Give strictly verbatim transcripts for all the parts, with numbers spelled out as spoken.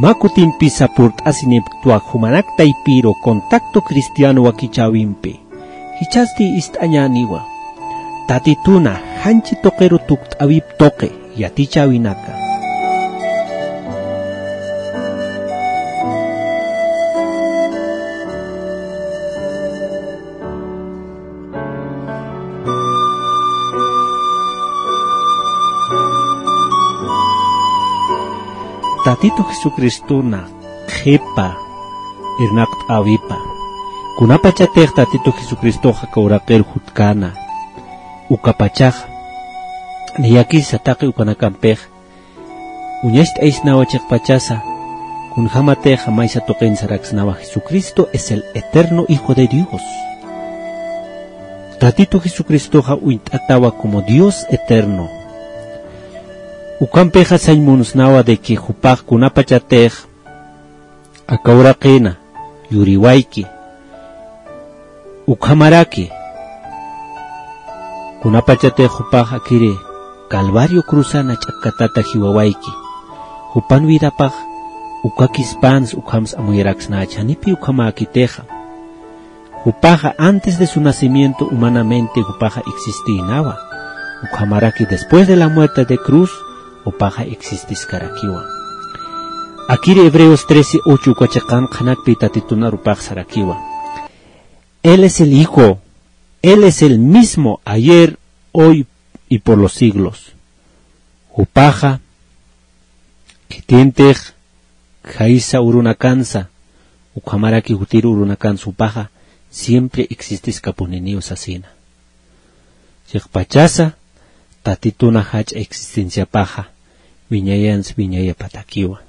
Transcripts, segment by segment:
Mä kutimpisa purt'asinipktwa jumanak taypiru Contacto Cristiano wakichäwimpi. Jichhasti ist'añäniwa. Tatituna janchi tuqiru tukt'äwip tuqi yatichäwinaka. Tatitu Jesucristona qhipa irnaqt'äwipa. Kunapachatix Tatitu Jesucristoxa aka uraqir jutkäna, ukapachaxa niyakisa taqi ukanakampix uñacht'aysnawa chiqpachasa, kunjämatixa maysa tuqin saraksnawa: Jesucristo es el eterno Hijo de Dios. Tatitu Jesucristoxa uñt'atawa como Dios eterno. Ukampixa sañ munsnawa de que jupax kunapachatix aka uraqina yuriwayki, ukhamaraki kunapachatix jupax akiri Calvario cruzana ch'akkatata jiwawayki, jupan vidapax ukakispans ukhams amuyaraksnächi, janipi ukhamäkitixa. Jupaxa antes de su nacimiento humanamente jupaxa existïnawa. Ukhamaraki después de la muerte de cruz, jupaxa existiskarakiwa. Akiri Hebreos trece ocho uka chiqan qhanakpi Tatitunar jupax sarakiwa: Él es el Hijo, Él es el mismo ayer, hoy y por los siglos. Jupaxa khitintix khaysa urunakansa, ukhamaraki jutir urunakansa, jupaxa siempre existiskapuniniw sasina. Chiqpachasa Tatituna jach'a existenciapaxa wiñayansa wiñayapatakiwa.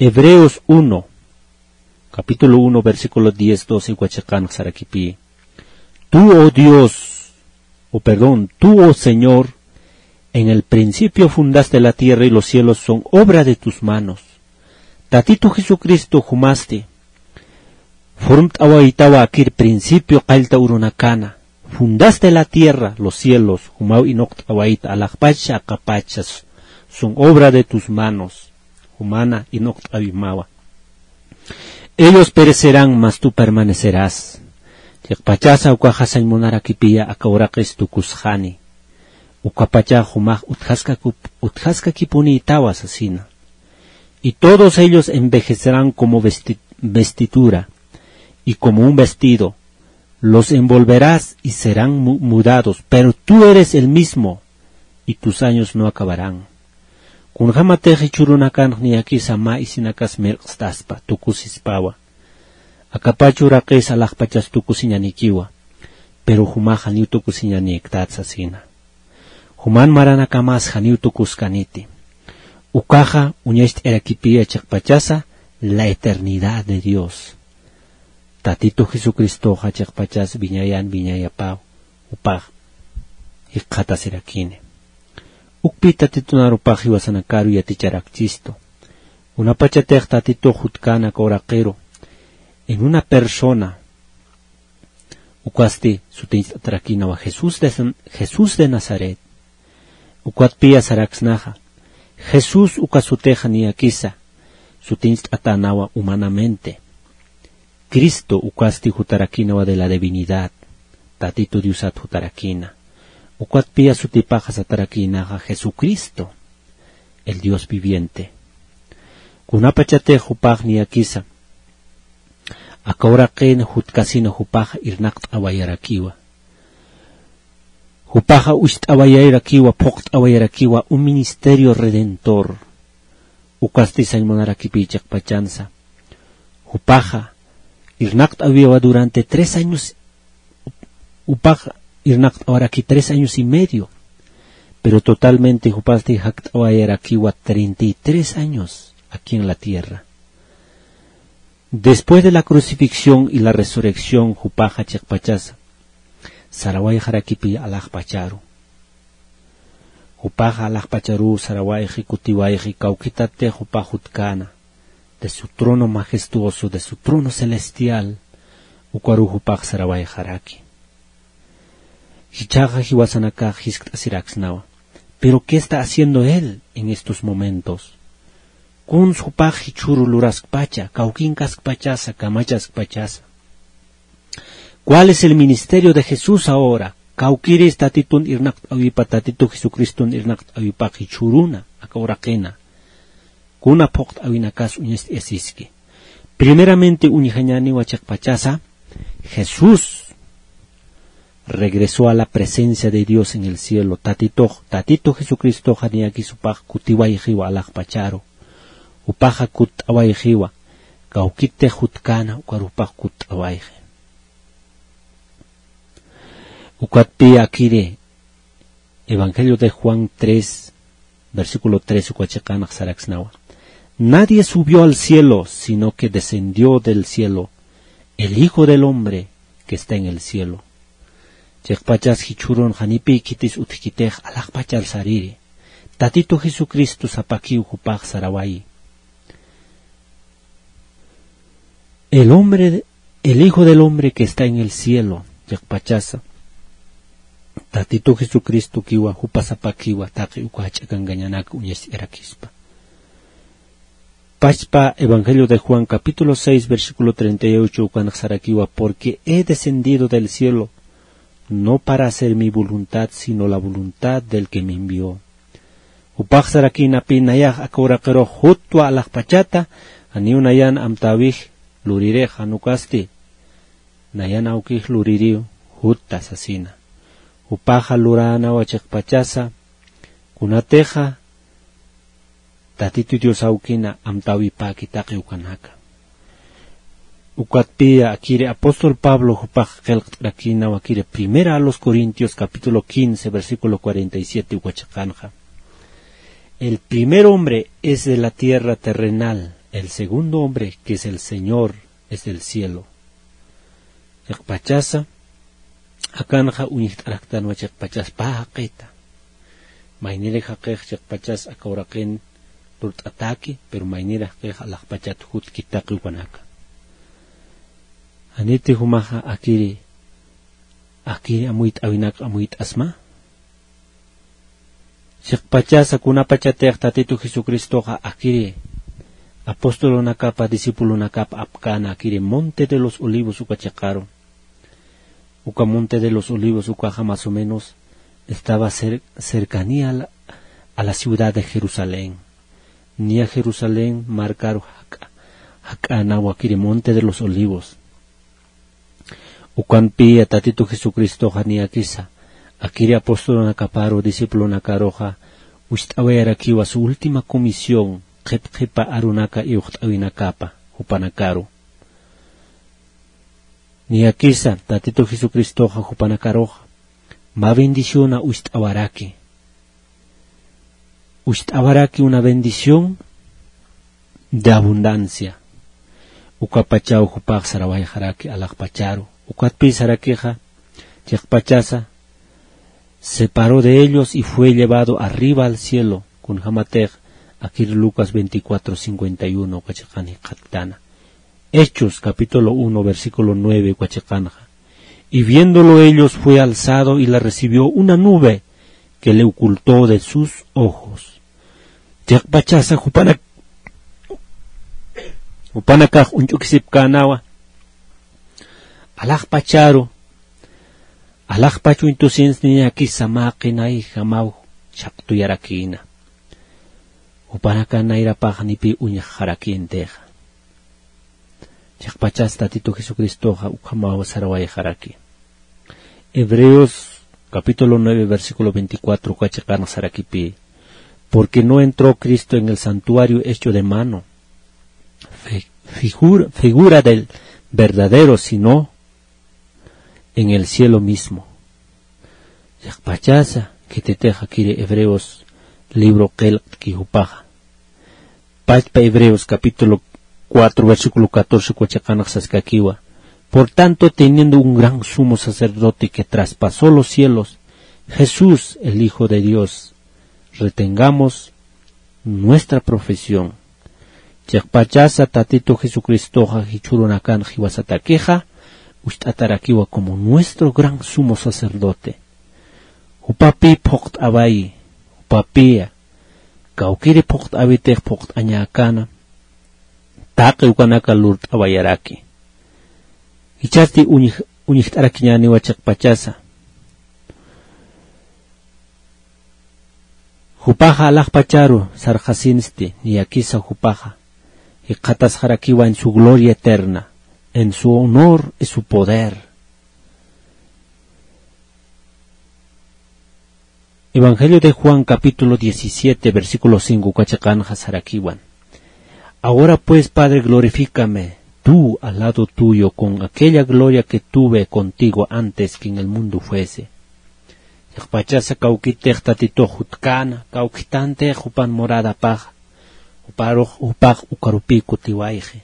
Hebreos uno, capítulo uno, versículo diez, doce, uka chiqanx sarakipï: Tú, oh Dios, o perdón, tú, oh Señor, en el principio fundaste la tierra y los cielos son obra de tus manos. Tatitu Jesucristo jumasti formt'awaytawa akir principio qallta urunakana. Fundaste la tierra, los cielos, jumaw inuqt'awayta, alaxpacha, aqapacha, son obra de tus manos. Jumana inuqt'awimawa. Ellos perecerán, mas tú permanecerás. Chiqpachasa ukaxa sañ munarakipiya aka uraqis tukusxani. Ukapacha jumax utjaskakup-, utjaskakipunïtawa sasina. Y todos ellos envejecerán como vesti-, vestidura, y como un vestido, los envolverás y serán mu-, mudados, pero tú eres el mismo, y tus años no acabarán. Kunjämatix jichhürunakanx niyakisa mä isinakas mirq'staspa, tukusispawa. Akapach uraqis alaxpachas tukusiñanikiwa, pero jumax janiw tukusiñanïktat sasina. Juman maranakamas janiw tukuskaniti. Ukaxa uñacht'arakipïya chiqpachasa la eternidad de Dios. Tatitu Jesucristoxa chiqpachas wiñayan wiñayapaw, jupax jikxatasirakini. Ukpï Tatitunar jupax jiwasanakaru yaticharakchistu. Kunapachatix Tatitux jutkäna aka uraqiru en una persona, ukasti sutincht'atarakïnawa Jesús de San-, Jesús de Nazaret. Ukatpiya saraksnaxa, Jesús uka sutixa niyakisa sutincht'atänawa humanamente. Cristo ukasti jutarakïnawa de la divinidad, Tatitu Diosat jutarakïna. Ukatpiya sutipaxa satarakïnaxa Jesucristo, el Dios viviente. Kunapachatix jupax niyakisa aka uraqin jutkasina jupaxa irnaqt'awayarakiwa. Jupaxa ucht'awayarakiwa, phuqt'awayarakiwa un ministerio redentor. Ukasti sañ munarakipï chiqpachansa. Jupaxa irnaqt'awiwa durante tres años, jupax irnaqt'awaraki tres años y medio. Pero totalmente jupasti jakt'awayarakiwa treinta y tres años aquí en la tierra. Después de la crucifixión y la resurrección, jupaxa chiqpachasa sarawayxarakipï alaxpacharu. Jupaxa alaxpacharu sarawayxi, kutiwayxi, kawkhitatix jupax jutkäna, de su trono majestuoso, de su trono celestial, ukaru jupax sarawayxaraki. Jichhaxa jiwasanakax jiskt'asiraksnawa. Pero ¿qué está haciendo él en estos momentos? Kuns jupax jichhüru luraskpacha, kawkinkaskpachasa, kamachaskpachasa. ¿Cuál es el ministerio de Jesús ahora? Kawkiris Tatitun irnaqt'äwipa, Tatitu Jesucristun irnaqt'äwipax jichhüruna, aka uraqina. Kuna phuqt'äwinakas uñast'ayasiski. Primeramente uñjañäniwa chiqpachasa, Jesús regresó a la presencia de Dios en el cielo. Tatitox, Tatitu Jesucristoxa niyakis jupax kutiwayxiwa alaxpacharu. Jupaxa kutt'awayxiwa. Kawkitix jutkäna, ukar jupax kutt'awayxi. Ukatpï akiri Evangelio de Juan tres, versículo tres, uka chiqanx saraksnawa. Nadie subió al cielo, sino que descendió del cielo el Hijo del Hombre que está en el cielo. Chiqpachas jichhürun janipï khitis utjkitix alaxpachar sariri. Tatitu Jesucristo sapakiw jupax sarawayi. El hombre, el Hijo del Hombre que está en el cielo, chiqpachasa. Tatitu Jesucristokiwa, jupa sapakiwa, taqi uka jach'a kankañanak uñast'ayarakispa. Pachpa Evangelio de Juan, capítulo seis, versículo treinta y ocho, ukanx sarakiwa, porque he descendido del cielo, no para hacer mi voluntad, sino la voluntad del que me envió. Jupax sarakïnapï nayax aka uraqirux jutwa alaxpachata, janiw nayan amtäwix luririx jan ukasti, nayan awkix luririw jutta sasina. Jupaxa luränawa chiqpachasa, kunatixa Tatitu Dios awkina amtäwipäki taqi ukanaka. Ukatpï akiri apóstol Pablo jupax qillqt'arakïnawa akiri Primera a los Corintios capítulo quince, versículo cuarenta y siete uka chiqanxa. El primer hombre es de la tierra terrenal, el segundo hombre, que es el Señor, es del cielo. Chiqpachasa, akanxa uñjt'araktanwa chiqpachas pä jaqita. Maynirix jaqix chiqpachas aka uraqin lurt'atäki, pero maynirix jaqix alaxpachat jutki taqi ukanaka. Janiti jumaxa akiri, akiri amuyt'äwinak amuyt'asma. Chiqpachasa kunapachatix Tatitu Jesucristoxa akiri apostolunakapa, discipulunakapa apkäna akiri Monte de los Olivos uka chiqaru. Uka Monte de los Olivos ukaxa más o menos estaba cer-, cercanía a la, a la ciudad de Jerusalén. Niya Jerusalén markaru jak'a, jak'anawa akiri Monte de los Olivos. Ukampï Tatitu Jesucristoxa niyakisa, akiri apostolunakaparu, discipulunakaruxa, wist'awayarakiwa su última comisión, qhip qhipa arunaka iwxt'äwinakapa, jupanakaru. Niyakisa, Tatitu Jesucristoxa, jupanakaruxa, mä bendiciona wist'awaraki. Wist'awaraki una bendición de abundancia. Ukapachaw jupax sarawayxaraki alaxpacharu. Ukatpï sarakixa, chiqpachasa, se paró de ellos y fue llevado arriba al cielo. Kunjamatix, akir Lucas veinticuatro cincuenta y uno, uka chiqan jikxattana. Hechos, capítulo uno, versículo nueve, uka chiqanxa. Y viéndolo ellos, fue alzado y le recibió una nube que le ocultó de sus ojos. Chiqpachasa jupanak-, jupanakax uñch'ukisipkänawa. Alaxpacharu, alaxpach uñtusins niyakisa mä qinayjamaw chhaqtuyarakïna. Jupanaka nayrapax janipï uñjxarakïntixa. Chiqpachas Tatitu Jesucristoxa ukhamaw sarawayxaraki. Hebreos capítulo nueve, versículo veinticuatro, uka chiqanx sarakipï. Porque no entró Cristo en el santuario hecho de mano, fi-, figur-, figura del verdadero, sino en el cielo mismo. Chiqpachasa, khititix akiri Hebreos libro qillqt'ki jupaxa. Pachpa Hebreos capítulo cuatro, versículo catorce, uka chiqanx saskakiwa. Por tanto, teniendo un gran sumo sacerdote que traspasó los cielos, Jesús, el Hijo de Dios, retengamos nuestra profesión. Chiqpachasa Tatitu Jesucristoxa jichhürunakanx jiwasatakixa, wist'atarakiwa como nuestro gran sumo sacerdote. Jupapï phuqt'awayi, jupapï Kawkiri phuqt'äwitix phuqt'añäkäna, taqi ukanaka lurt'awayaraki. Jichhasti uñj-, uñjt'arakiñäniwa chiqpachasa. Jupaxa alaxpacharu sarxasinsti, niyakisa jupaxa jikxatasxarakiwa en su gloria eterna, en su honor y su poder. Evangelio de Juan, capítulo diecisiete, versículo cinco, uka chiqanxa sarakiwan: Ahora pues, Padre, glorifícame tú al lado tuyo con aquella gloria que tuve contigo antes que en el mundo fuese. Chiqpachasa kawkitix Tatitux jutkäna, kawkitantix jupan moradapaxa, juparux, jupax ukarupï kutiwayxi.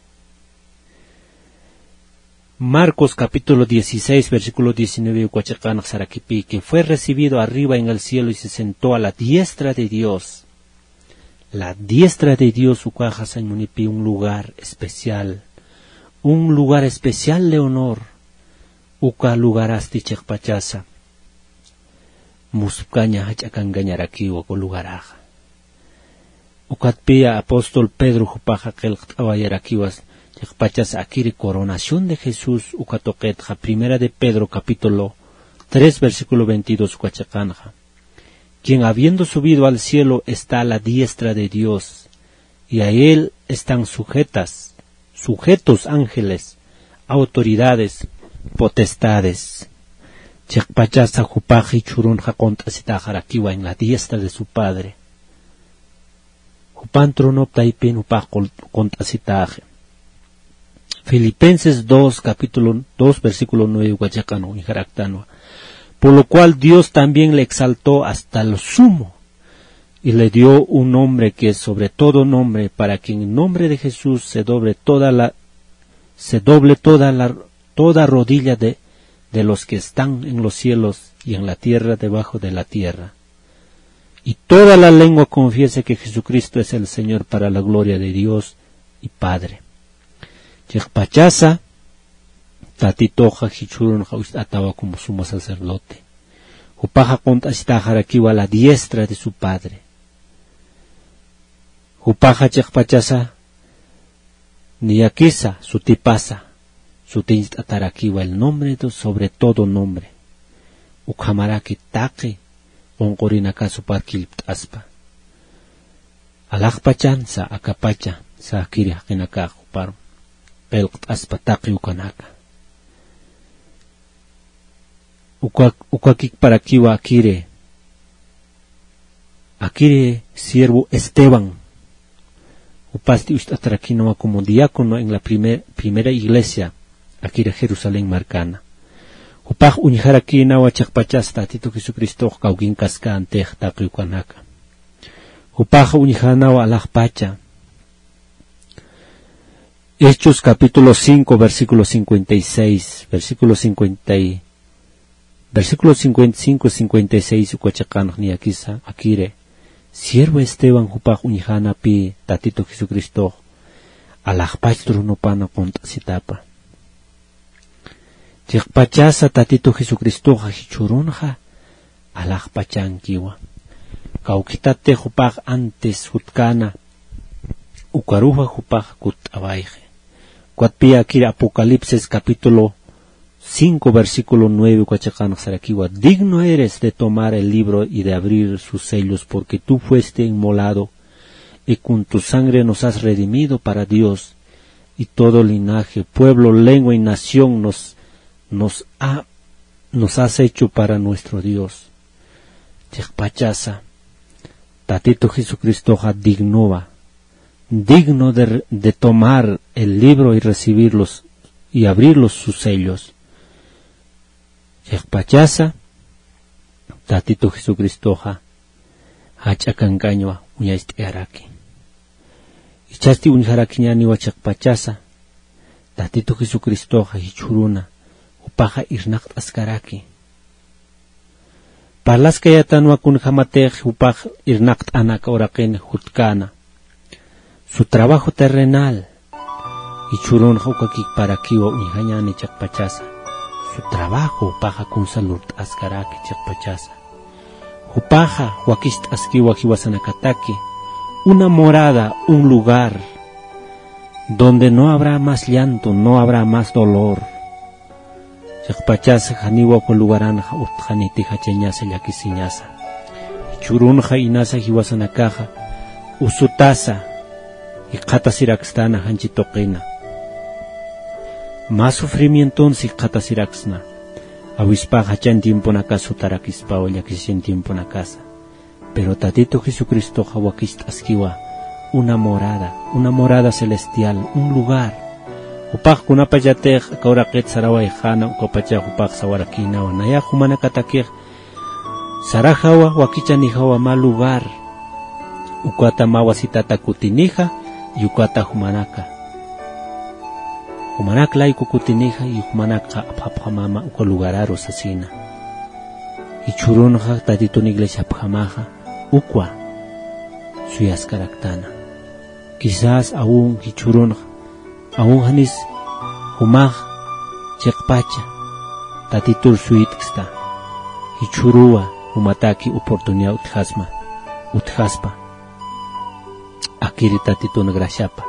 Marcos capítulo dieciséis, versículo diecinueve, uka chiqanx sarakipï: Que fue recibido arriba en el cielo y se sentó a la diestra de Dios. La diestra de Dios ukaxa sañ munipï un lugar especial, un lugar especial de honor. Uka lugarasti chiqpachasa muspkaña jach'akankañarakiwa uka lugaraxa. Ukatpï apóstol Pedro jupaxa qillqt'awayarakiwa chiqpachasa akiri coronación de Jesús uka tuqitxa, Primera de Pedro capítulo tres, versículo veintidós, uka chiqanxa: Quien habiendo subido al cielo está a la diestra de Dios, y a él están sujetas, sujetos ángeles, autoridades, potestades. Chiqpachasa jupax jichhürunxa qunt'asitaxarakiwa en la diestra de su Padre. Jupan tronop taypin jupax qul-, qunt'asitaxi. Filipenses dos, capítulo dos, versículo nueve, uka chiqan uñjaraktanwa: Por lo cual Dios también le exaltó hasta lo sumo y le dio un nombre que es sobre todo nombre, para que en el nombre de Jesús se doble toda la, se doble toda la, toda rodilla de, de los que están en los cielos y en la tierra debajo de la tierra. Y toda la lengua confiese que Jesucristo es el Señor, para la gloria de Dios y Padre. Chiqpachasa Tatituxa jichhürunxa uñt'atawa como sumo sacerdote. Jupaxa qunt'asitaxarakiwa a la diestra de su Padre. Jupaxa chiqpachasa niyakisa sutipasa, sutiñcht'atarakiwa el nombre do-, sobre todo nombre. Ukhamaraki taqi qunqurinakax jupar killpt'aspa. Alaxpachansa akapacha, sa akiri jaqinakax jupar qillqt'aspa taqi ukanaka. Uka, ukakikparakiwa akiri, akiri siervo Esteban, jupasti uñt'atarakinawa como diácono en la primer-, primera iglesia, akiri Jerusalén markana. Jupax uñjarakinawa chiqpachas Tatitu Jesucristox kawkinkaskantix taqi ukanaka. Jupax uñjanawa alaxpacha. Hechos capítulo cinco, versículo cincuenta y seis, versículo cincuenta y, versículo cincuenta y cinco, cincuenta y seis, uka chiqanx niyakisa akiri: Siervo Esteban jupax uñjanapï Tatitu Jesucristox alaxpach tronopana qunt'asitapa. Chiqpachasa Tatitu Jesucristoxa jichhürunxa alaxpachankiwa. Kawkitati jupax antes jutkana, ukaruxa jupax kutt'awayxi. Ukatpï akiri Apocalipsis capítulo cinco, versículo nueve, uka chiqanx sarakiwa: Digno eres de tomar el libro y de abrir sus sellos, porque tú fuiste inmolado, y con tu sangre nos has redimido para Dios, y todo linaje, pueblo, lengua y nación nos, nos ha, nos has hecho para nuestro Dios. Chiqpachasa Tatitu Jesucristoxa dignowa, digno de, de tomar el libro y recibirlos y abrirlos sus sellos. Chiqpachasa Tatitu Jesucristoxa jach'a kankañwa uñacht'ayaraki. Jichhasti uñjarakiñäniwa chiqpachasa Tatitu Jesucristoxa jichhüruna, jupaxa irnaqt'askaraki. Parlaskayätanwa kunjamatix jupax irnaqt'ana aka uraqin jutkana. Su trabajo terrenal, jichhürunxa ukakikparakiwa uñjañäni chiqpachasa. Su trabajo, jupaxa kunsa lurt'askaraki chiqpachasa. Jupaxa wakicht'askiwa jiwasanakataki, Una morada, un lugar donde no habrá más llanto, no habrá más dolor. Chiqpachasa janiwa uka lugaranxa utjxaniti jachañasa llakisiñasa. Jichhürunxa inasa jiwasanakaxa usutasa jikxatasiraksna janchi tuqina. Mä sufrimientonsa jikxatasiraksna. Awispax jachan tiemponakasa jutarakispawa llakisichan tiemponakasa. Pero Tatitu Jesucristoxa wakicht'askiwa una morada, una morada celestial, un lugar. Jupax kunapachatix aka uraqit sarawayxäna ukapachax jupax sawarakïnawa. Nayax jumanakatakix sarajawa, wakichanijawa mä lugar. Ukata mä wasitata kutinixa, y ukata jumanaka. Jumanak layku kutinixa, y jumanakxa apxapxamama uka lugararu sasina. Jichhürunxa Tatitun iglesiapjamaxa ukwa suyaskaraktana. Quizás aún jichhürunxa, aún janis jumax chiqpacha Tatitur suyt'ksta. Jichhüruwa jumataki oportunidad utjasma, utjaspa. Akiri Tatitun graciapa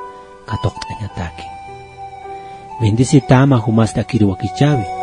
katuqt'añataki. Bendecitama jumasti akiri wakichäwi.